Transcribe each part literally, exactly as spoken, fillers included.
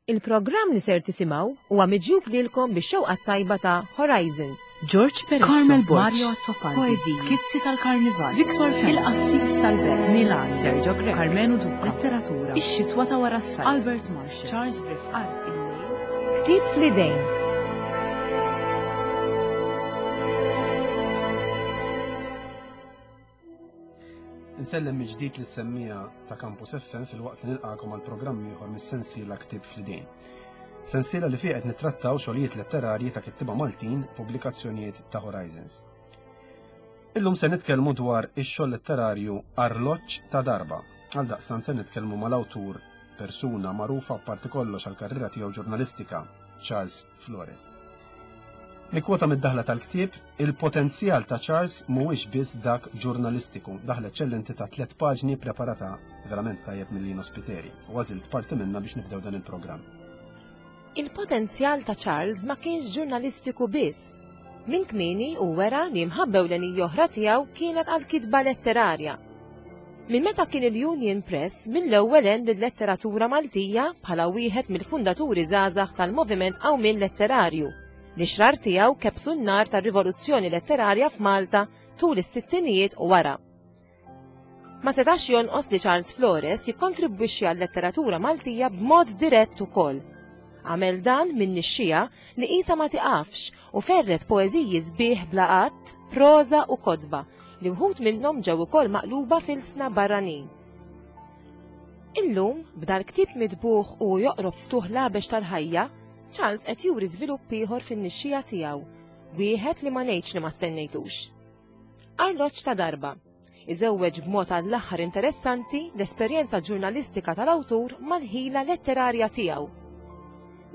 Il-programm li ser tisimgħu huwa miġjub lilkom bix-xewqa tajba ta' Horizons. George Peresso, Carmel Borg, Mario Azzopardi, Poeziji, Skizzi tal-Karnival, Victor Fenech, Il-Qassis tal-Belt, Milan, Sergio Grech, Carmenu Duca, Letteratura, Ix-Xitwa ta' wara s-sajf, Albert Marshall, Charles Griffith, Art, Il-Lejl, Ktieb fl-idejn. Insellem mill-ġdid lis-semmiegħa ta' Campus F M filwaqt li nilqakom għal programm ieħor mis-sensiela Ktieb fl-idejn. Sensiela li fiha qed nittrattaw xogħlijiet letterarji ta' kittiba Maltin, pubblikazzjonijiet ta' Horizons. Illum se nitkellmu dwar ix-xogħol letterarju Arloġġ ta' Darba. Għal daqstant se nitkellmu mal-awtur, persuna magħrufa apparti kollox għal karriera tiegħu ġurnalistika, Charles Flores. Nikkwota mid-daħla tal-ktieb: "Il-potenzjal ta' Charles mhuwiex biss dak ġurnalistiku." Daħla eċċellenti ta' tliet paġni preparata verament tajjeb minn Lino Spiteri. U għażilt parti minna biex nibdew dan il-programm. Il-potenzjal ta' Charles ma kienx ġurnalistiku biss. Minn kmieni u wera li mħabba ewlenija oħra tiegħu kienet għal kitba letterarja. Minn meta kien il-Union Press, mill-ewwel għen lill-letteratura Maltija bħala wieħed mill-fundaturi żgħażagħ tal-moviment Qawmien Letterarju li xrar tiegħu kebsu n-nar tar-rivoluzzjoni letterarja f'Malta tul is-sittinijiet u wara. Ma setax jonqos li Charles Flores jikkontribwixxi għal-letteratura Maltija b'mod dirett ukoll. Għamel dan minn nixxija li qisha ma tiqafx u ferret poeżiji sbieħ bla qatt, proża u kotba li wħud minnhom ġew ukoll maqluba f'ilsna barranin. Illum, b'dal ktieb mitbuħ u joqrob ftuħ labex tal-ħajja, Charles qed juri żvilupp ieħor fin-nixxija tiegħu, wieħed li ma ngħidx li ma stennejtux. Arloġġ ta' Darba iżewweġ b'mod għall-aħħar interessanti l-esperjenza ġurnalistika tal-awtur mal-ħila letterarja tiegħu.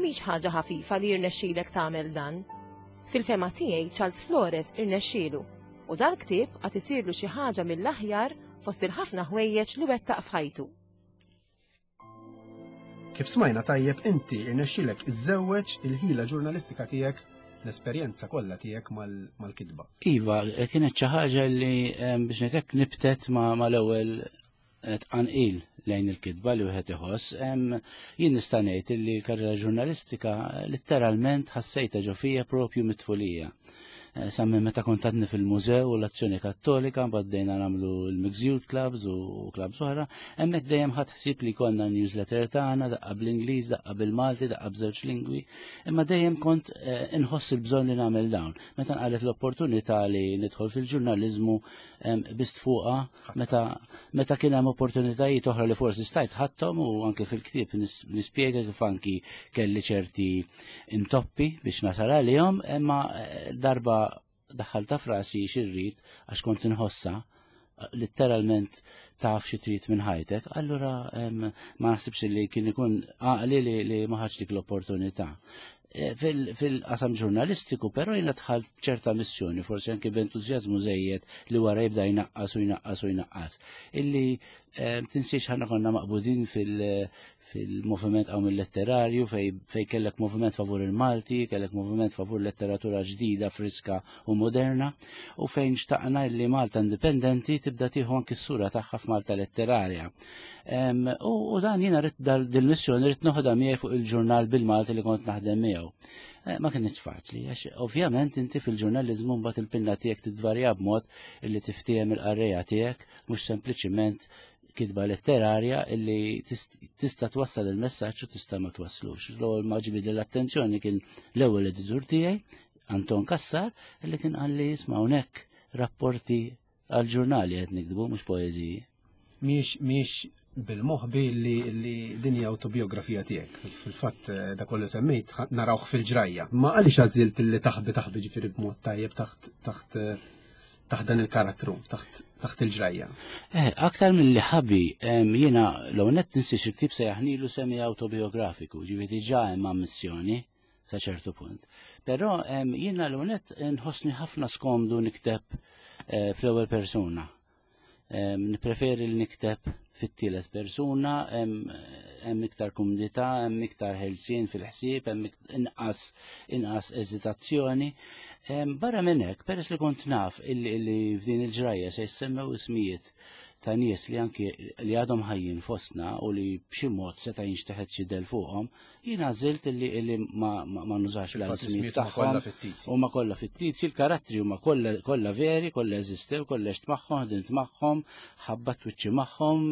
Mhix ħaġa ħafifa li jirnexxilek tagħmel dan. Fil-fehma tiegħi, Charles Flores irnexxielu u dal-ktieb qed isirlu xi ħaġa mill-aħjar fost il-ħafna ħwejjeġ li wettaq f'ħajtu. Kif smajna tajjeb, inti irnexxilek iżżewweġ il-ħila ġurnalistika tiegħek, l-esperjenza kollha tiegħek mal-kitba. Iva, kienet xi ħaġa li biex ngħidlek nibtet ma mal-ewwel tqanqil lejn il-kitba li wieħed iħoss. Jien nista' ngħid li l-karriera ġurnalistika letteralment ħassejta ġo fija propju mit-tfulija. Eh, sa minn meta kont għadni fil-mużew u l-Azzjoni Kattolika, baddejna nagħmlu l-Mixed Youth Clubs u clubs oħra, hemmhekk dejjem ħadd ħsieb li konna newsletter tagħna, daqqa bl-Ingliż, daqqa bil-Malti, daqqa b'żewġ lingwi, imma dejjem kont eh, inħoss il-bżonn li nagħmel dawn. Meta nqalet l-opportunità li nidħol fil-ġurnaliżmu, bist fuqha meta meta kien hemm opportunitajiet oħra li forsi stajt ħadthom, u anke fil-ktieb nispjega kif anki kelli ċerti intoppi biex nasal għalihom, imma eh, darba daħħalta f'rasi x'irrid għax kont inħossa letteralment taf xi trid minn ħajtek, allura ma naħsibx li kien ikun għaqli li, li ma ħadx dik l-opportunità. E, fil-qasam ġurnalistiku, però, jiena dħalt ċerta missjoni, forsi anke b'entużjażmu żejjed li wara jibda jnaqqas u jnaqqas u jnaqqas. Illi tinsiex ħana konna maqbudin fil- fil-moviment Qawmien Letterarju fej, fej kellek moviment favur il-Malti, kellek moviment favur letteratura ġdida, friska u moderna, u fejn xtaqna li Malta indipendenti tibda tieħu anki s-sura tagħha f'Malta letterarja. Um, u, u dan jiena rrid dil-missjoni rrid noħodha miegħi fuq il-ġurnal bil-Malti li kont naħdem miegħu. Eh, ma kienx faċli, għax ovvjament inti fil-ġurnalizmu mbagħad il-pinna tiegħek tidvarja b'mod illi tiftiehem il-qarrejja tiegħek, mhux sempliċiment kitba letterarja illi tista' twassal il-messaġġ u tista' ma twasslux. L-ewwel ma ġibid l-attenzjoni kien l-ewwel editur tiegħi, Anton Kassar, illi kien qalli: "Isma', hawnhekk rapporti għal-ġurnali qed niktbu, mhux poeżiji." Miex miex bil-moħbi li, li din hija autobiografija tiegħek. Fil-fatt eh, da kollu semmejt narawh fil-ġrajja. Ma għaliex għażilt li taħbi taħbi ġifieri b'mod tajjeb taħt taħt eh, taħt dan il-karattru, taħt taħt il-ġrajja? Eh, aktar mill-li ħabi, jiena l net tinsiex il-ktieb sejjaħnilu semi autobiografiku, ġifieri ġa hemm ammissjoni sa ċertu punt. Però jiena l net nħossni ħafna skomdu nikteb eh, fl-ewwel persuna. Nippreferi li nikteb fit-tielet persuna, hemm iktar kumdità, hemm iktar ħelsien fil-ħsieb, hemm inqas inqas eżitazzjoni. Barra minn hekk, peress li kont naf illi f'din il-ġrajja se jissemmew ismijiet ta' nies li anki li għadhom ħajjin fostna u li b'xi mod seta' jinxteħet xi del fuqhom, jien għażilt illi illi ma, ma, ma nużax l-ismijiet tagħhom. Huma kollha fittizji, il-karattri huma kollha veri, kollha eżistew, kollha għext magħhom, ħdimt magħhom, ħabbat wiċċi magħhom,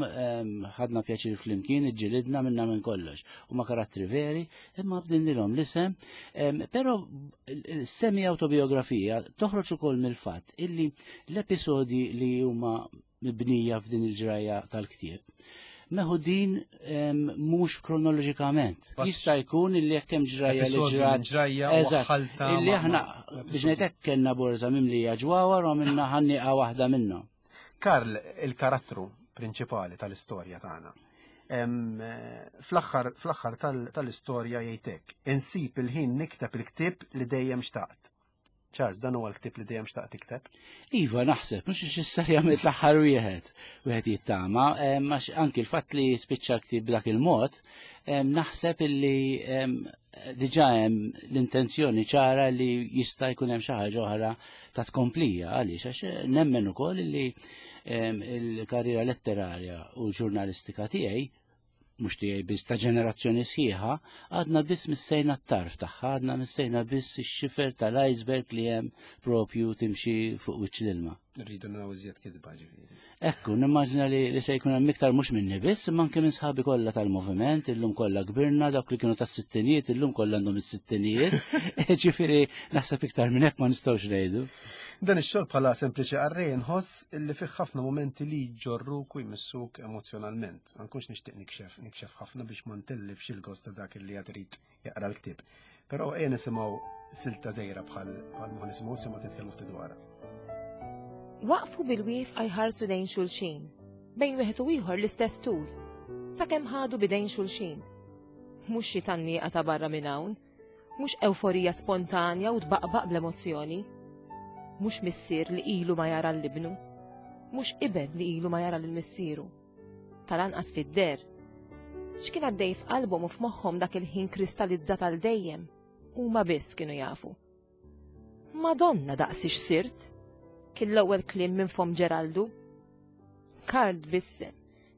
ħadna pjaċir flimkien, iġġilidna minna minn kollox. Huma karattri veri, imma bdilnilhom l-isem, però semi autobiografija toħroġ ukoll mill-fatt illi l-episodi li huma mibnija f'din il-ġrajja tal-ktieb meħudin mhux kronoloġikament. Jista' jkun illi jekk hemm ġrajja li ġrat. Eżatt. Illi aħna biex ngħidlek kellna borża mimlija ġwawar u għamilna ħanniqa waħda minnhom. Karl, il-karattru prinċipali tal-istorja tagħna. Fl-aħħar fl-aħħar tal-istorja jgħidlek, insib il-ħin nikteb il-ktieb li dejjem xtaqt. Charles, dan huwa l-ktieb li dejjem xtaqt tikteb? Iva, naħseb, mhux ix-serja mill-aħħar wieħed, wieħed jittama, għax anki l-fatt li spiċċa l-ktieb b'dak il-mod, naħseb illi diġà hemm l-intenzjoni ċara li jista' jkun hemm xi ħaġa oħra ta' tkomplija, għaliex għax nemmen ukoll li il-karriera letterarja u ġurnalistika tiegħi mhux tiegħi biss ta' ġenerazzjoni sħiħa, għadna biss missejna t-tarf tagħha, għadna missejna biss ix-xifer tal-iceberg li hemm propju timxi fuq wiċċ l-ilma. Rridu naraw iżjed kitba ġifieri. Ekku, nimmaġina li, li se jkun hemm iktar mhux minni biss, imma anke minn sħabi kollha tal-moviment, illum kollha kbirna, dawk li kienu tas-sittinijiet, illum kollha għandhom is-sittinijiet. Ġifieri naħseb iktar minn hekk ma nistgħux ngħidu. Dan ix-xogħol bħala sempliċi qarrej nħoss illi fih ħafna momenti li jġorruk u jmissuk emozjonalment. Ma nkunx nixtieq nikxef, nikxef ħafna biex ma ntellifx il-gost ta' dak li qed irid jaqra l-ktieb. Però ejja nisimgħu silta żgħira bħal bħal ma nisimgħu simgħu titkellmu ftit dwarha. Waqfu bil-wieqfa jħarsu lejn xulxin, bejn wieħed u ieħor l-istess tul, sakemm ħadu bidejn xulxin. Mhux xi tgħanniqa ta' barra minn hawn, mhux ewforija spontanja u tbaqbaq bl-emozzjoni. Mhux missier li ilu ma jara l-ibnu, mhux iben li ilu ma jara l-missieru. Tal-anqas fid-der. X'kien għaddej f'qalbhom u f'moħħhom dak il-ħin kristallizzat għal dejjem, huma biss kienu jafu. Madonna daqsix sirt, kien l-ewwel kliem minn fom Ġeraldu. Karl tbissem,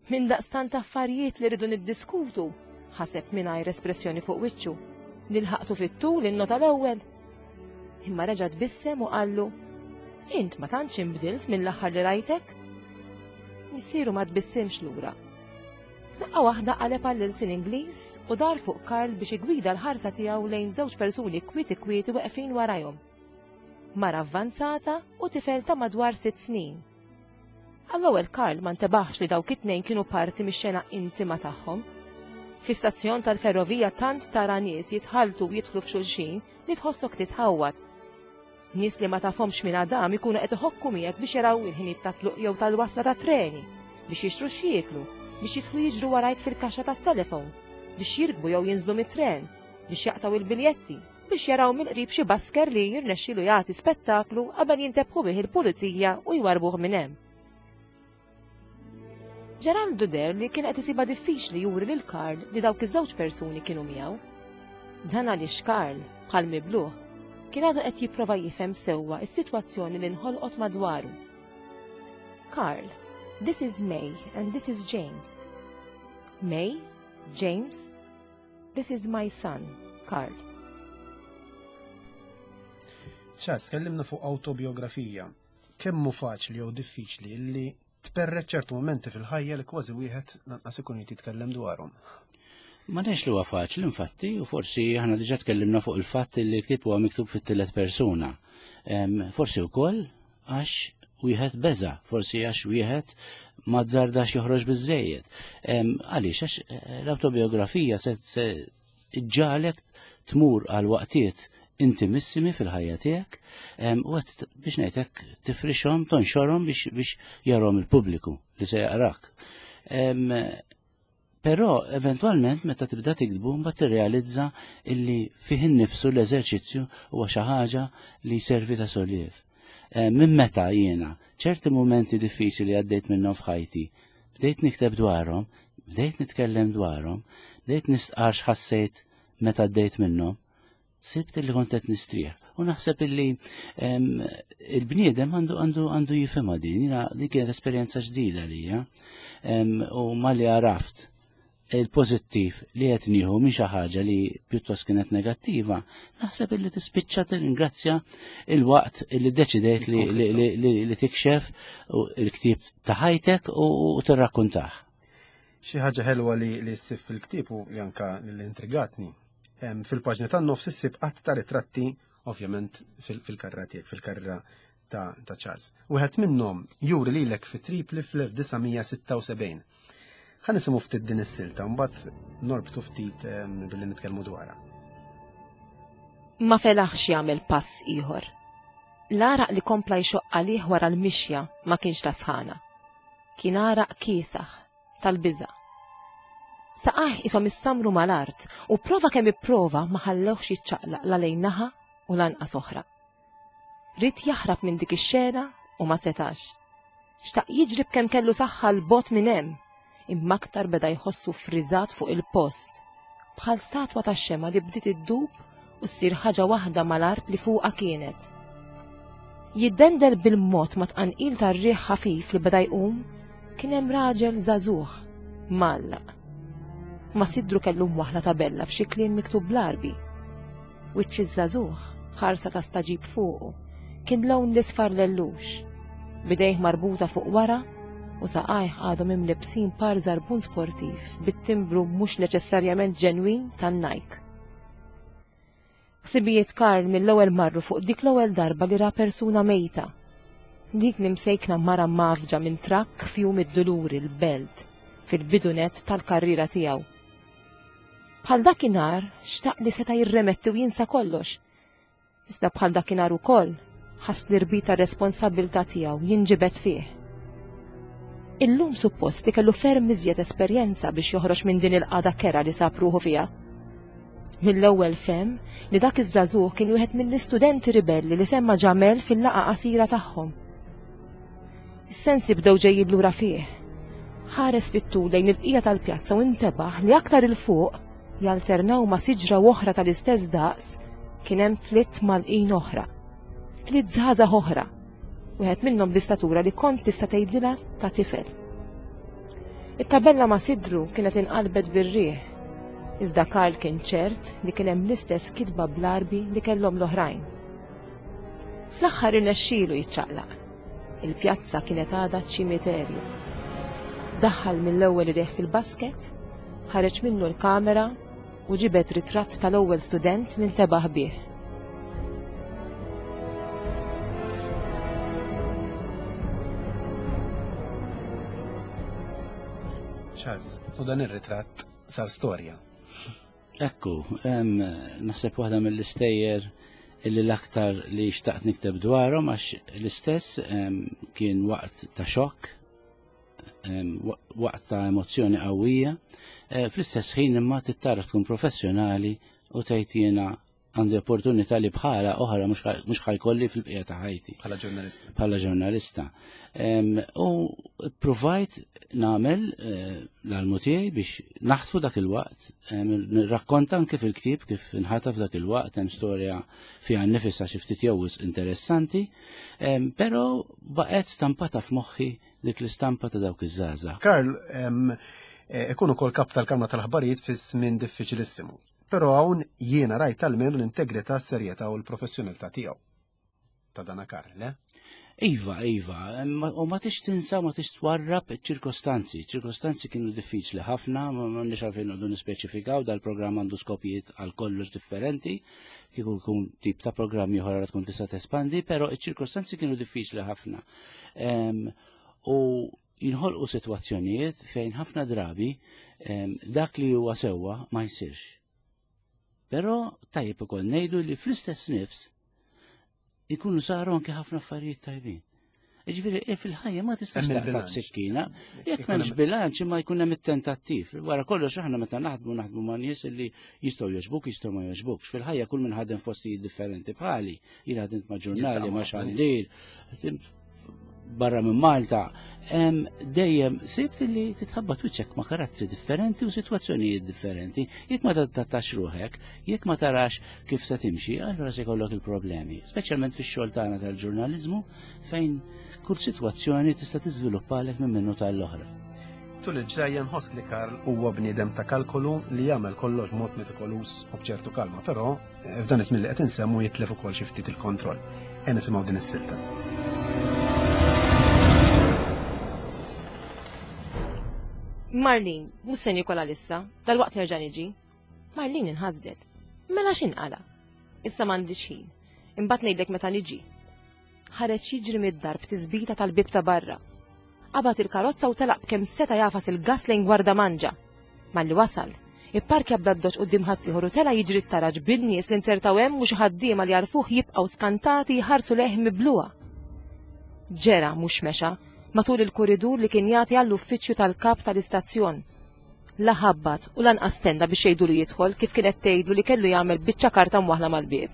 minn daqstant affarijiet li rridu niddiskutu, ħaseb mingħajr espressjoni fuq wiċċu. Nilħaqtu fit-tul innota l-ewwel. Imma reġa' tbissem u qallu, int ma tantx inbdilt mill-aħħar li rajtek? Missieru ma tbissimx lura. F'daqqa waħda qaleb għall-ilsien Ingliż u dar fuq Karl biex igwida l-ħarsa tiegħu lejn żewġ persuni kwieti kwieti weqfin warajhom. Mara avvanzata u tifel ta' madwar sitt snin. Għall-ewwel Karl ma ntebaħx li dawk it-tnejn kienu parti mix-xena intima tagħhom. Fi stazzjon tal-ferrovija tant tara nies jitħaltu u jidħlu f'xulxin li tħossok titħawwad. Nies li ma tafhomx minn Adam ikunu qed iħokku miegħek biex jaraw il-ħinijiet ta' tluq jew tal-wasla ta' treni, biex jixtru x'jieklu, biex jidħlu jiġru warajk fil-kaxxa tat-telefon, biex jirkbu jew jinżlu mit-tren, biex jaqtaw il-biljetti, biex jaraw mill-qrib xi basker li jirnexxilu jagħti spettaklu qabel jintebħu bih il-pulizija u jwarbuh minn hemm. Ġeraldu deher li kien qed isibha diffiċli juri lil Karl li dawk iż-żewġ persuni kienu miegħu. Dan għaliex Karl, bħal mibluh, kien għadu qed jipprova jifhem sewwa s-sitwazzjoni li nħolqot madwaru. Karl, this is May and this is James. May, James, this is my son, Karl. Charles, tkellimna fuq autobiografija. Kemm hu faċli jew diffiċli li tperret ċertu momenti fil-ħajja li kważi wieħed lanqas ikun jrid jitkellem dwarhom? Ma nafx li huwa faċli infatti, u forsi aħna diġà tkellimna fuq il-fatt li l-ktieb huwa miktub fit-tielet persuna. Forsi wkoll għax wieħed beża, forsi għax wieħed ma azzardax joħroġ biżejjed. Għaliex għax eh, l-autobiografija se ġġagħlek tmur għal waqtiet intimissimi fil-ħajja tiegħek u għed biex ngħidlek tifrixhom, tonxorhom biex biex jarahom il-pubbliku li se jaqrak. Però eventwalment meta tibda tiktbu mbagħad tirrealizza illi fih innifsu l-eżerċizzju huwa xi ħaġa li jservi ta' solliev. Minn meta jiena ċerti momenti diffiċli li għaddejt minnhom f'ħajti Bdejt nikteb dwarhom, bdejt nitkellem dwarhom, bdejt nistqar x'ħassejt meta għaddejt minnhom, sibt li kont qed nistrieħ. U naħseb illi il-bniedem għandu għandu għandu jifhimha din, jiena din kienet esperjenza ġdida lija. U malli għaraft il-pożittiv li qed nieħu minn xi ħaġa li pjuttost kienet negattiva, naħseb illi tispiċċa tirringrazzja il-waqt illi deċidejt li, li, li, li, li tikxef il-ktieb ta' ħajtek u, u tirrakkuntah. Xi ħaġa ħelwa li li ssib fil-ktieb u li anka li intrigatni. Fil-paġni tan-nofs issib qatt ta' ritratti, ovvjament fil-karriera tiegħek, fil-karriera ta', ta' Charles. Wieħed minnhom juri lilek fi Tripli fl-elf disa' mija sitta u sebgħin. Ħa nisimgħu ftit din is-silta, mbagħad norbtu ftit billi nitkellmu dwarha. Ma felaħx jagħmel pass ieħor. L-għaraq li kompla jxoqq għalih wara l-mixja ma kienx ta' sħana. Kien għaraq kiesaħ tal-biża'. Saqajh ishom issamru mal-art u prova kemm ipprova ma ħallewx jiċċaqlaq la lejn naħa u lanqas oħra. Ried jaħrab minn dik ix-xena u ma setax. Xtaq jiġri b'kemm kellu saħħa l-bot minn hemm, imma aktar beda jħossu friżat fuq il-post, bħal statwa ta' xema li bdiet iddub u ssir ħaġa waħda mal-art li fuqha kienet. Jiddendel bil-mod ma tqanqil tar-riħ ħafif li beda jqum, kien hemm raġel żagħżugħ mgħallaq. Ma sidru kellu mwaħla tabella b'xi kliem miktub bl-Arbi. Wiċċ iż-żagħżugħ ħarsa ta' staġib fuqu, kien lawn l-isfar lellux, bidejh marbuta fuq wara u saqajh għadhom imlibsin par żarbun sportiv bit-timbru mhux neċessarjament ġenwin tan-Nike. Ħsibijiet Karl mill-ewwel marru fuq dik l-ewwel darba li ra persuna mejta. Dik li msejkna mara mafġa minn trakk f'jum id-duluri l-belt fil-bidunet tal-karriera tiegħu. Bħal dakinhar xtaq li seta' jirremetti u jinsa kollox. Iżda bħal dakinhar ukoll ħass li rbita r-responsabbiltà tiegħu jinġibed fih. Illum suppost li kellu ferm iżjed esperjenza biex joħroġ minn din il-qagħda kera li sab ruħu fiha. Mill-ewwel fehm li dak iż-żagħżugħ kien wieħed mill-istudenti ribelli li semma Ġamel fil-laqgħa qasira tagħhom. Is-sensi bdew ġejjin lura fih. Ħares fit-tul lejn il-bqija tal-pjazza u intebaħ li aktar il fuq jalternaw ma' siġra oħra tal-istess daqs kien hemm tliet malqin oħra. Tliet żgħażagħ oħra. Wieħed minnhom bl-istatura li kont tista' tgħidilha ta' tifel. It-tabella ma' sidru kienet inqalbet bir-riħ. Iżda Karl kien ċert li kien hemm l-istess kitba bl-Arbi li kellhom l-oħrajn. Fl-aħħar irnexxielu jiċċaqlaq. Il-pjazza kienet għadha ċimiterju. Daħħal mill-ewwel idejh fil-basket, ħareġ minnu l-kamera u ġibed ritratt tal-ewwel student li ntebaħ bih. Charles, u dan ir-ritratt sar storja. Ekku, em, naħseb waħda mill-istejjer illi l-aktar li xtaqt nikteb dwarhom għax l-istess, em, kien waqt ta' xokk, em, wa-, waqt ta' emozzjoni qawwija, eh, fl-istess ħin imma tittaraf tkun professjonali u tgħid jiena għandi opportunità li bħala oħra mhux ħaj-, mhux ħajkolli fil-bqija ta' ħajti. Bħala ġurnalista. Bħala ġurnalista. Em, u provajt nagħmel, eh, l-almu tiegħi biex naħtfu dak il-waqt, em, nirrakkonta anke fil-ktieb kif inħataf dak il-waqt, hemm storja fiha nnifisha xi ftit jew wisq interessanti, em, però baqgħet stampata f'moħħi dik l-istampa ta' dawk iż-żgħażagħ. Karl, em, eh, ikun ukoll kap tal-Kamra tal-Aħbarijiet fi żmien diffiċilissimu. Però hawn jiena rajt almenu l-integrità, s-serjetà u l-professjonalità tiegħu. Ta' dana Karl, le? Iva, iva, ma-, u ma tix tinsa, ma tix twarrab ċirkostanzi. Ċirkostanzi kienu diffiċli ħafna, ma-, ma nix għalfejn noqogħdu nispeċifikaw, dal-programm għandu skopijiet għal kollox differenti, kieku jkun tip ta' programm ieħor għal tkun tista' tespandi, però iċ-ċirkostanzi kienu diffiċli ħafna. Em, u jinħolqu sitwazzjonijiet fejn ħafna drabi, em, dak li huwa sewwa ma jsirx. Però tajjeb ukoll ngħidu li fl-istess nifs ikunu saru anke ħafna affarijiet tajbin. Jiġifieri, eh, fil-ħajja ma tistax Hemm taqta' il-bilanċ. b'sikkina, jekk Ikun m'hemmx hemm bilanċ imma jkun hemm it-tentattiv. Wara kollox aħna meta naħdmu naħdmu ma' nies li jistgħu jogħġbuk, jistgħu ma jogħġbukx. Fil-ħajja kull min ħadem f'postijiet differenti bħali, jien ħadimt ma' ġurnali, Jiltaqa' ma' ma' ħafna nies. xandir, ħdimt barra minn Malta, dejjem sibt li titħabbat wiċċek ma' karattri differenti u sitwazzjonijiet differenti. Jekk ma tadattax ruħek, jekk ma tarax kif se timxi, allura se jkollok il-problemi. Speċjalment fix-xogħol tagħna tal-ġurnaliżmu fejn kull sitwazzjoni tista' tiżviluppalek minn minnu tal-oħra. Tul il-ġrajja nħoss li Karl huwa bniedem ta' kalkolu li jagħmel kollox mod metikoluż u b'ċertu kalma, però f'dan iż-żmien li qed insemmu jitlef ukoll xi ftit il-kontroll. E nisimgħu din is-silta. Marlene, mhux se nikola lissa, dal-waqt nerġa' niġi. Marlene inħasdet. Mela x'inqala? Issa m'għandix ħin. Imbagħad ngħidlek meta niġi. Ħareġ jiġri mid-dar b'tisbita tal-bib ta' barra. Qabad il-karozza u telaq b'kemm seta' jafas il-gas lejn Gwardamanġa. Malli wasal, ipparkja bl-addoċ quddiem ħaddieħor u tela' jiġri t-taraġ bin-nies li nzertaw hemm u xi ħaddiema li jarfuh jibqgħu skantati jħarsu lejh mibluha. Ġera mhux mexa matul il-kuridur li kien jagħti għall-uffiċċju tal-kap tal-istazzjon. La ħabbat u lanqas tenna biex jgħidu li jidħol kif kienet tgħidlu li kellu jagħmel biċċa karta mwaħla mal-bieb.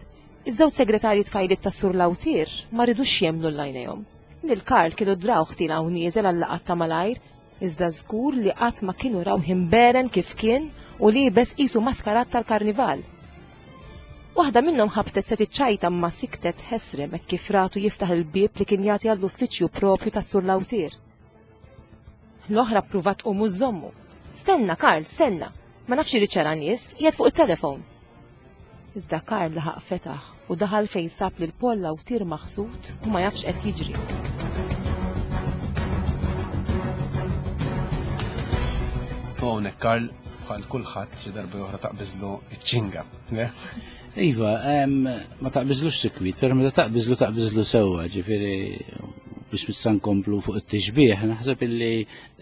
Iż-żewġ segretarji tfajliet tas-Sur Lawtier ma ridux jemmnu l-għajnejhom. Lil Karl kienu drawh tiela' u nieżel għal-laqgħat ta' malajr, iżda żgur li qatt ma kienu rawh imberen kif kien u liebes qisu maskarat tal-karnival. Waħda minnhom ħabtet se tiċċajta ma siktet ħesrem hekk kif ratu jiftaħ il-bieb li kien jagħti għall-uffiċċju propju tas-Sur Lawtier. L-oħra ppruvat tqum u żżommu. Stenna, Karl, stenna. Ma nafx irid ċara nies, qiegħed fuq it-telefon. Iżda Karl laħaq fetaħ u daħal fejn sab lil Paul Lawtier maħsud u ma jafx qed jiġri. Hawnhekk Karl bħal kulħadd xi darba oħra taqbiżlu iċ-ċinga, le? Iva, ma taqbiżlux sikwit, però meta taqbiżlu taqbiżlu sewwa, ġifieri biex missa nkomplu fuq it-tixbih, naħseb illi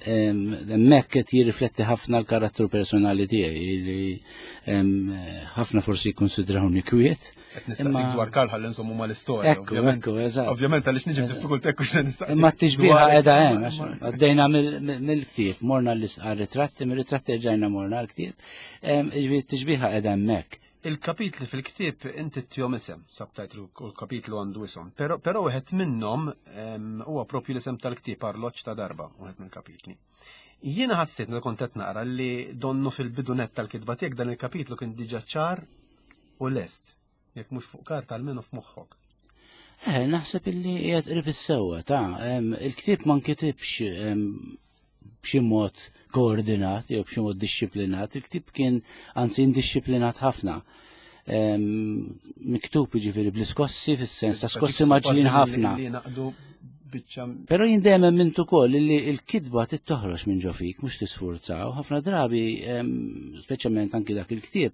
hemmhekk qed jirrifletti ħafna l-karattru personali tiegħi li ħafna forsi jikkonsidrawni kwiet. Qed nistaqsik dwar Karl ħalli nżommu mal-istorja. Ekku, ekku, eżatt. Ovvjament għaliex niġi f'diffikultà hekk se nistaqsik. Imma t-tixbieha qiegħda hemm, għax għaddejna mill-ktieb, morna għar-ritratti, mir-ritratti rġajna morna għall-ktieb. Ġifieri t-tixbieha qiegħda hemmhekk. Il-kapitli fil-ktieb inti tihom isem, subtitle u l-kapitlu għandu isem, però però wieħed minnhom huwa propju l-isem tal-ktieb Arloġġ ta' darba, wieħed mill-kapitli. Jiena ħassejt meta kont qed naqra li donnu fil-bidu nett tal-kitba tiegħek dan il-kapitlu kien diġà ċar u lest, jekk mhux fuq karta almenu f'moħħok. Eh, naħseb illi qiegħed qrib is-sewwa ta' il-ktieb ma nkitibx b'xi mod koordinat jew b'xi mod dixxiplinat, il-ktieb kien anzi indixxiplinat ħafna. Miktub jiġifieri bl-iskossi fis-sens ta' skossi maġlin ħafna. Però jien dejjem emmint ukoll li l-kitba trid toħroġ minn ġo fik, mhux tisfurza, u ħafna drabi, speċjalment anki dak il-ktieb,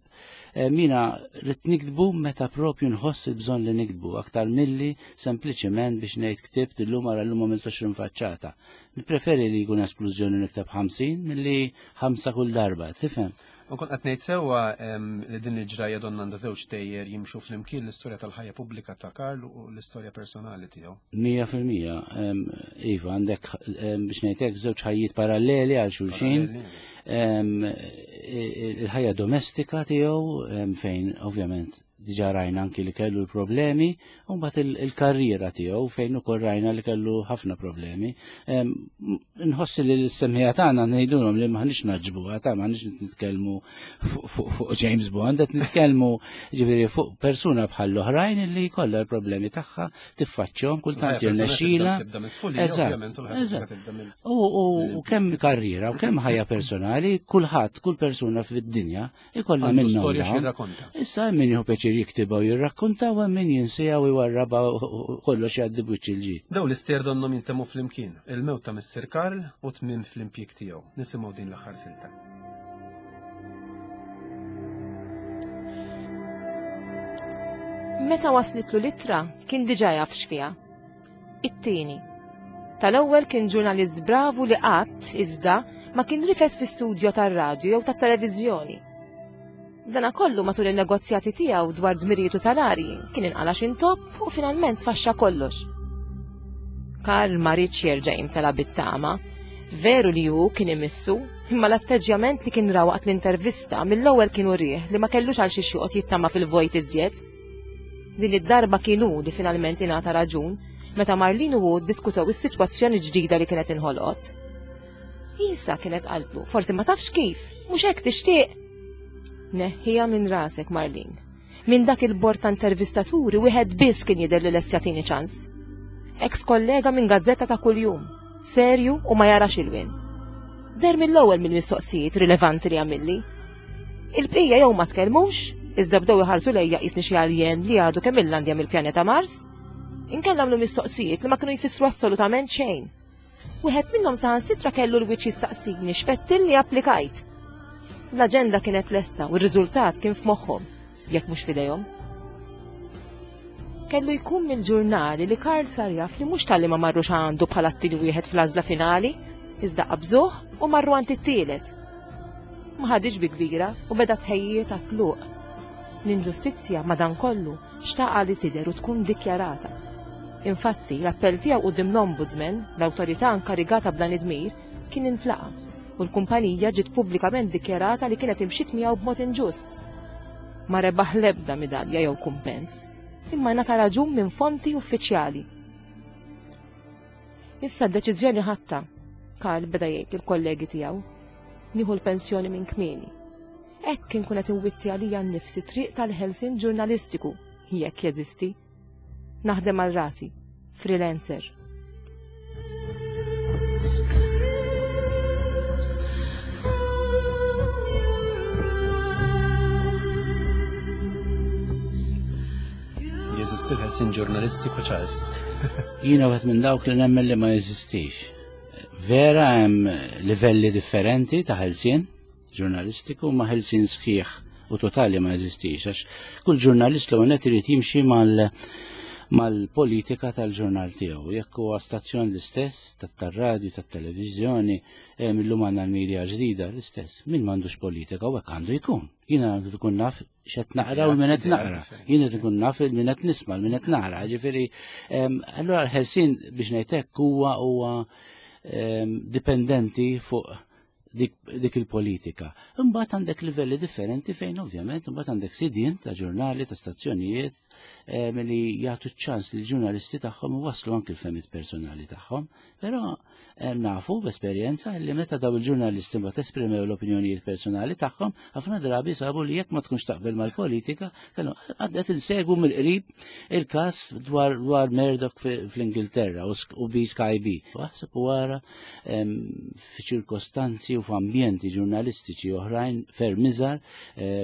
mina rrid niktbu meta propju nħoss il-bżonn li niktbu, aktar milli sempliċement biex ngħid ktibt illum ara llum għamilt għoxrin faċċata. Nippreferi li jkun esplużjoni nikteb ħamsin milli ħamsa kull darba, tifhem? U kont qed ngħid sewwa li din il-ġrajja donna għandha żewġ tejjer jimxu flimkien, l-istorja tal-ħajja pubblika ta' Karl u l-istorja personali tiegħu. Mija fil-mija, iva, għandek biex ngħidlek żewġ ħajjiet paralleli għal xulxin. Il-ħajja domestika tiegħu fejn ovvjament diġà rajna anki li kellu l-problemi, u mbagħad il-karriera tiegħu fejn ukoll rajna li kellu ħafna problemi. Nħossi li l-semħija tagħna ngħidulhom li m'aħniex naġbuha, ta' m'aħniex nitkellmu fuq James Bond, qed nitkellmu ġifieri fuq persuna bħal oħrajn li jkollha l-problemi tagħha, tiffaċċjahom kultant jirnexxilha. U kemm karriera u kemm ħajja personali, kulħadd, kull persuna fid-dinja ikollha minnhom. Issa hemm min jieħu pjaċir jiktibha u jirrakkonta u hemm min jinsija u jwarrabha u kollox jgħaddi b'wiċċ il-ġid. Daw l-istejjer donnhom jintemmu flimkien, il-mewt ta' Missier Karl u tmiem fl-impjieg tiegħu. Nisimgħu din l-aħħar silta. Meta waslitlu l-ittra kien diġà jaf x'fiha. It-tieni. Tal-ewwel kien ġurnalist bravu li qatt iżda ma kien rifes fi studjo tar-radju jew tat-televiżjoni. Dana kollu matul il-negozjati tiegħu dwar dmirijiet u salarji kien inqala x'intopp u finalment sfaxxa kollox. Karl ma riedx jerġa' jimtela bit-tama. Veru li hu kien imissu, imma l-atteġġjament li kien ra waqt l-intervista mill-ewwel kien urih li ma kellux għal xi joqgħod jittama fil-vojt iżjed. Din id-darba kien hu li finalment ingħata raġun meta Marlene u hu ddiskutew is-sitwazzjoni ġdida li kienet inħolqot. Isa kienet qaltlu, forsi ma tafx kif, mhux hekk tixtieq. Neħħiha minn rasek, Marlene. Minn dak il-bord ta' intervistaturi wieħed biss kien jidher li lest jagħtini ċans. Ex kollega minn gazzetta ta' kuljum, serju u ma jarax ilwien. Deher mill-ewwel mill-mistoqsijiet rilevanti li għamilli. Il-bqija jew ma tkellmux, iżda bdew iħarsu lejja qisni xi alien li għadu kemm illandja mill-pjaneta Mars. Inkella għamlu mistoqsijiet li ma kienu jfissru assolutament xejn. Wieħed minnhom saħansitra kellu l-wiċċ jistaqsini x'fettilni applikajt. L-aġenda kienet lesta u r-riżultat kien f'moħħhom, jekk mhux f'idejhom. Kellu jkun mill-ġurnali li Karl sar jaf li mhux talli ma marrux għandu bħala t-tieni wieħed fl-għażla finali, iżda qabżuh u marru għand it-tielet. Ma ħadix bi kbira u beda tħejjiet għat-tluq. L-inġustizzja madankollu xtaqa li tidher u tkun dikjarata. Infatti, l-appell tiegħu quddiem l-Ombudsman, l-awtorità inkarigata b'dan id-dmir, kien intlaqa' u l-kumpanija ġiet pubblikament dikjarata li kienet imxiet miegħu b'mod inġust. Ma rebaħ l-ebda midalja jew kumpens, imma ngħata raġun minn fonti uffiċjali. Issa d-deċiżjoni ħadtha, Karl beda jgħid lill-kollegi tiegħu. Nieħu l-pensjoni minn kmieni. Hekk kien kun qed inwitti għalija nnifsi triq tal-ħelsien ġurnalistiku, jekk jeżisti. Naħdem għal rasi, freelancer. Screams from your eyes. Jeżisti l-ħelsien ġurnalistiku, Charles? Jiena wieħed minn dawk li nemmen li ma jeżistix. Vera hemm livelli differenti ta' ħelsien ġurnalistiku, ma ħelsien sħiħ u totali ma jeżistix, għax kull ġurnalist l għonet irid jimxi mal mal-politika tal-ġurnal tiegħu. Jekk huwa stazzjon l-istess, tat-radju, tat-televiżjoni, illum għandna l-media ġdida l-istess. Min m'għandux politika u hekk għandu jkun. Jiena għandu tkun naf x'qed naqra u min qed naqra. Jiena tkun naf il min qed nisma' min qed naqra. Ġifieri, allura l-ħelsien biex ngħid hekk huwa huwa dipendenti fuq dik, dik il-politika. Imbagħad għandek livelli differenti fejn ovvjament imbagħad għandek sidien ta' ġurnali, ta' stazzjonijiet li jagħtu ċans li ġurnalisti tagħhom waslu anki l-fehmiet personali tagħhom, però nafu b'esperjenza li meta daw il-ġurnalisti mbagħad esprimew l-opinjonijiet personali tagħhom, ħafna drabi sabu li jekk ma tkunx taqbel mal-politika, kellu għaddet insegwu mill-qrib il-każ dwar dwar Murdoch fl-Ingilterra u B Sky B. Waħseb wara f'ċirkostanzi u f'ambjenti ġurnalistiċi oħrajn ferm iżgħar,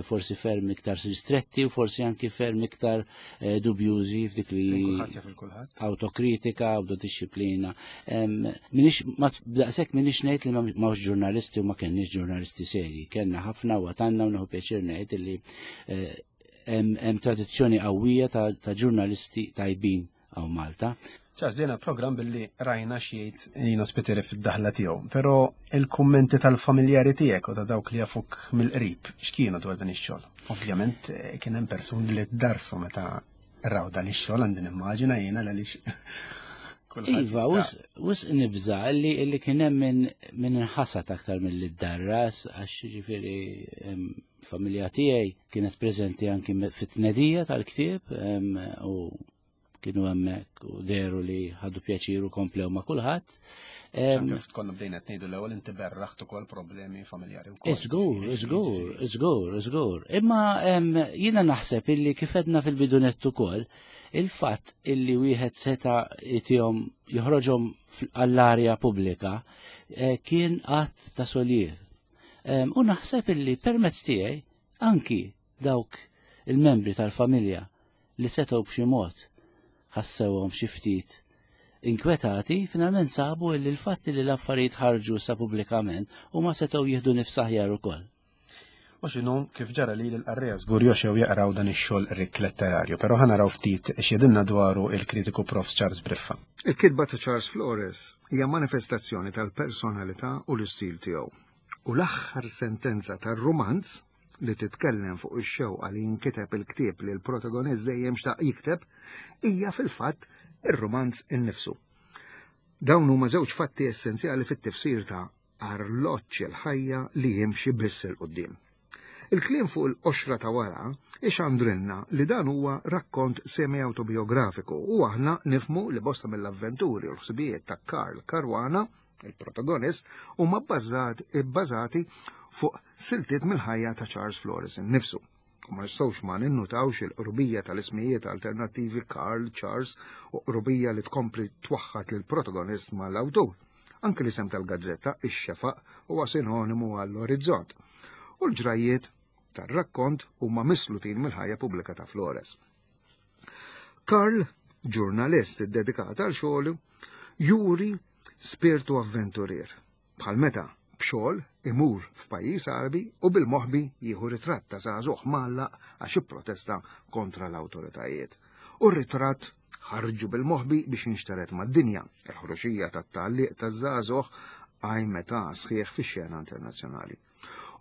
forsi ferm iktar ristretti u forsi anki ferm iktar dubjużi f'dik li autokritika, autodisciplina. Minix, ma daqshekk minix ngħid li m'hawnx ġurnalisti u ma kenniex ġurnalisti serji. Kellna ħafna u għatanna u nieħu pjaċir ngħid li hemm tradizzjoni qawwija ta' ġurnalisti tajbin hawn Malta. Charles, bdejna program billi rajna x'jgħid Lino Spiteri fid-daħla tiegħu, però il-kummenti tal-familjari tiegħek u ta' dawk li jafuk mill-qrib x'kienu dwar dan ix-xogħol? Ovvjament kien hemm persuni li ddarsu meta raw dan ix-xogħol, għandi nimmaġina jiena għaliex kulħadd Iva, jista' wis nibża li li kien hemm min min inħasad aktar milli ddarras, għax jiġifieri familja tiegħi kienet preżenti anki fit-tnedija tal-ktieb u kienu hemmhekk u dehru li ħadu pjaċir u komplew ma' kulħadd. Kif konna bdejna qed ngħidu l-ewwel inti berraħt ukoll problemi familjari wkoll. Żgur, żgur, żgur, żgur. Imma jiena naħseb illi kif għedna fil-bidunett ukoll, il-fatt illi wieħed seta' jtihom joħroġhom għall-arja pubblika kien att ta' soliev. U naħseb illi permezz tiegħi anki dawk il-membri tal-familja li setgħu b'xi mod ħassewhom xi ftit inkwetati, finalment sabu li l-fatt li l-affarijiet ħarġu sa pubblikament u ma setgħu jieħdu nifs aħjar ukoll. U x'inhu kif ġara li l-qarrejja żgur joxew jaqraw dan ix-xogħol rikk letterarju, però ħa naraw ftit x'jedilna dwaru il-kritiku Profs Charles Briffa. Il-kitba ta' Charles Flores hija manifestazzjoni tal-personalità u l-istil tiegħu. U l-aħħar sentenza tar-rumanz li titkellem fuq ix-xewqa li jinkiteb il-ktieb li l-protagonist dejjem xtaq jikteb hija fil-fatt ir-rumanz innifsu. Dawn huma żewġ fatti essenzjali fit-tifsir ta' arloġġ il-ħajja li jimxi biss il quddiem. Il-kliem fuq il-qoxra ta' wara ixandrinna li dan huwa rakkont semi-autobiografiku u aħna nifmu li bosta mill-avventuri u l-ħsibijiet ta' Karl Caruana, il-protagonist, huma bbażati fuq siltiet mill-ħajja ta' Charles Flores innifsu. U ma nistgħux ma ninnutawx il-qrubija tal-ismijiet alternattivi Karl, Charles u qrubija li tkompli twaħħat lill-protagonist mal-awtur. Anke l-isem tal-gazzetta, ix-Xefaq, huwa sinonimu għall-orizzont. U l-ġrajiet tar-rakkont huma mislutin mill-ħajja pubblika ta' Flores. Karl, ġurnalist iddedikat għal xogħlu, juri spirtu avventurier. Bħal meta b'xogħol imur f'pajjiż Għarbi u bil-moħbi jieħu ritratt ta' żagħżugħ mgħallaq għax ipprotesta kontra l-awtoritajiet. U r-ritratt ħarġu bil-moħbi biex jinxteret mad-dinja. Il-ħruxija tat-tgħalliq taż-żagħżugħ qajmet sħiħ fix-xena internazzjonali.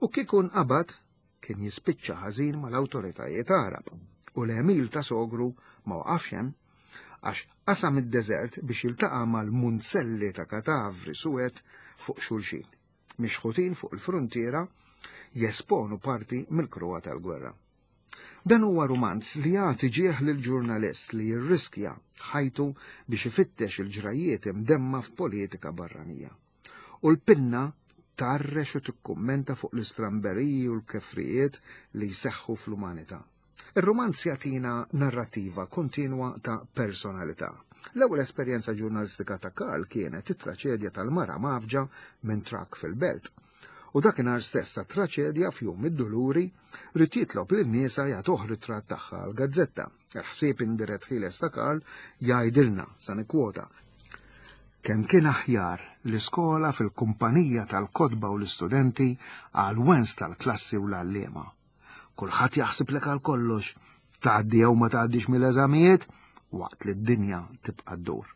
U kieku nqabad kien jispiċċa ħażin mal-awtoritajiet Għarab u l-għemil ta' sogru ma waqafx hemm għax qasam id-deżert biex jiltaqa' mal-munzelli ta' katavri suwed fuq xulxin, mixħutin fuq il-frontiera jesponu parti mill-kruha tal-gwerra. Dan huwa rumanz li jagħti ġieħ lill-ġurnalist li jirriskja ħajtu biex ifittex il-ġrajiet imdemma f'politika barranija. U l-pinna tarrex u tikkummenta fuq l-istramberiji u l-kefrijiet li jseħħu fl-umanità. Ir-rumanz jagħtina narrativa kontinwa ta' personalità. L-ewwel esperjenza ġurnalistika ta' Karl kienet it-traċedja tal-mara mafġa minn trakk fil-belt. U dakinhar stess ta' traċedja f'jum id-duluri ried jitlob lin-nisa jagħtuh ritratt tagħha għall-gazzetta. Il-ħsieb indirett ħieles ta' Karl jgħidilna, sa nikkwota, kemm kien aħjar l-iskola fil-kumpanija tal-kotba u l-istudenti għal wens tal-klassi u l-għalliema. Kulħadd jaħsib lek għal kollox, tgħaddi jew ma tgħaddix mill-eżamijiet waqt li d-dinja tibqa' ddur.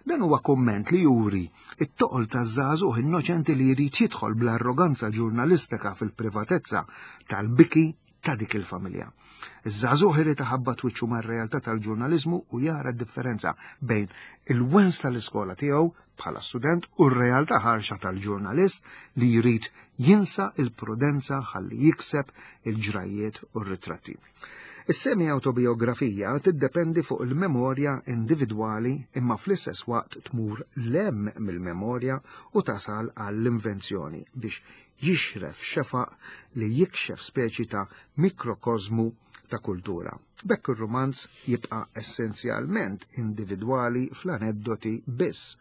Dan huwa komment li juri it-toqol taż-żagħżugħ innoċenti li jrid jidħol bl-arroganza ġurnalistika fil-privatezza tal-biki ta' dik il-familja. Iż-żagħżugħ irid iħabbat wiċċu mar-realtà tal-ġurnaliżmu u jara d-differenza bejn il-wens tal-iskola tiegħu bħala student u r-realtà ħarxa tal-ġurnalist li jrid jinsa il-prudenza ħalli jikseb il-ġrajiet u r-ritratti. Is-semi-autobiografija tiddependi fuq il-memorja individwali imma fl-istess waqt tmur lem mill-memorja u tasal għall-invenzjoni biex jixref xefaq li jikxef speċi ta' mikrokosmu ta' kultura. B'hekk ir-rumanz jibqa' essenzjalment individwali fl-aneddoti biss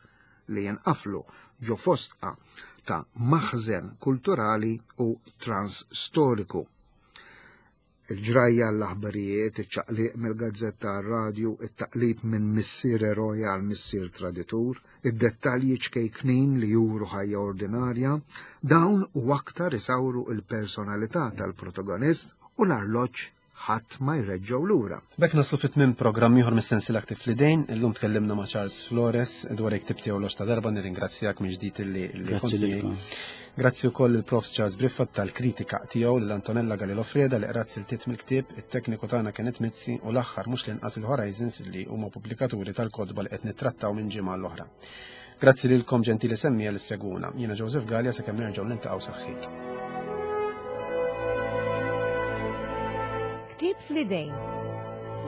li jinqaflu ġo fostqa ta' maħżen kulturali u transstoriku. Il-ġrajja l-aħbarijiet, iċ-ċaqliq mill-gazzetta għar-radju, it-taqlib minn missier eroja għal missier traditur, id-dettalji ċkejknin li juru ħajja ordinarja, dawn u aktar isawru il-personalità tal-protagonist u l-arloġġ ħadd ma jreġġgħu lura. B'hekk naslu fi tmiem programm ieħor mis-sensiela Ktieb fl-Idejn, illum tkellimna ma' Charles Flores dwar il-ktieb tiegħu L-Għoxx ta' Darba, nirringrazzjak minn ġdid illi illi Grazzi kont miegħi. lilkom. Grazzi wkoll il-Profs Charles Briffa tal-kritika tiegħu lil Antonella Galilò Freda li qrat siltiet mill-ktieb, it-tekniku tagħna Kenneth Mizzi u l-aħħar mhux l-inqas il-Horizons li huma pubblikaturi tal-kotba li qed nittrattaw minn ġimgħa l-oħra. Grazzi lilkom ġentili semmiegħa li ssegwuna. Jiena Joseph Galea sakemm nerġgħu niltaqgħu saħħit. Ktieb fl-idejn.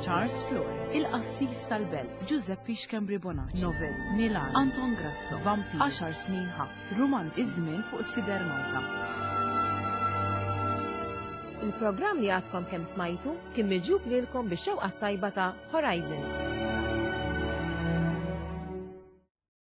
Charles Flores, Il-Qassis tal-Belt, Giuseppe Schembri Bonacci, Novel, Milan, Anton Grasso, Vampir, Għaxar snin ħabs, Romanzi, Iż-żmien fuq Sider Malta. Il-programm li għadkom kemm smajtu kien miġjub lilkom bix-xewqa tajba ta' Horizons.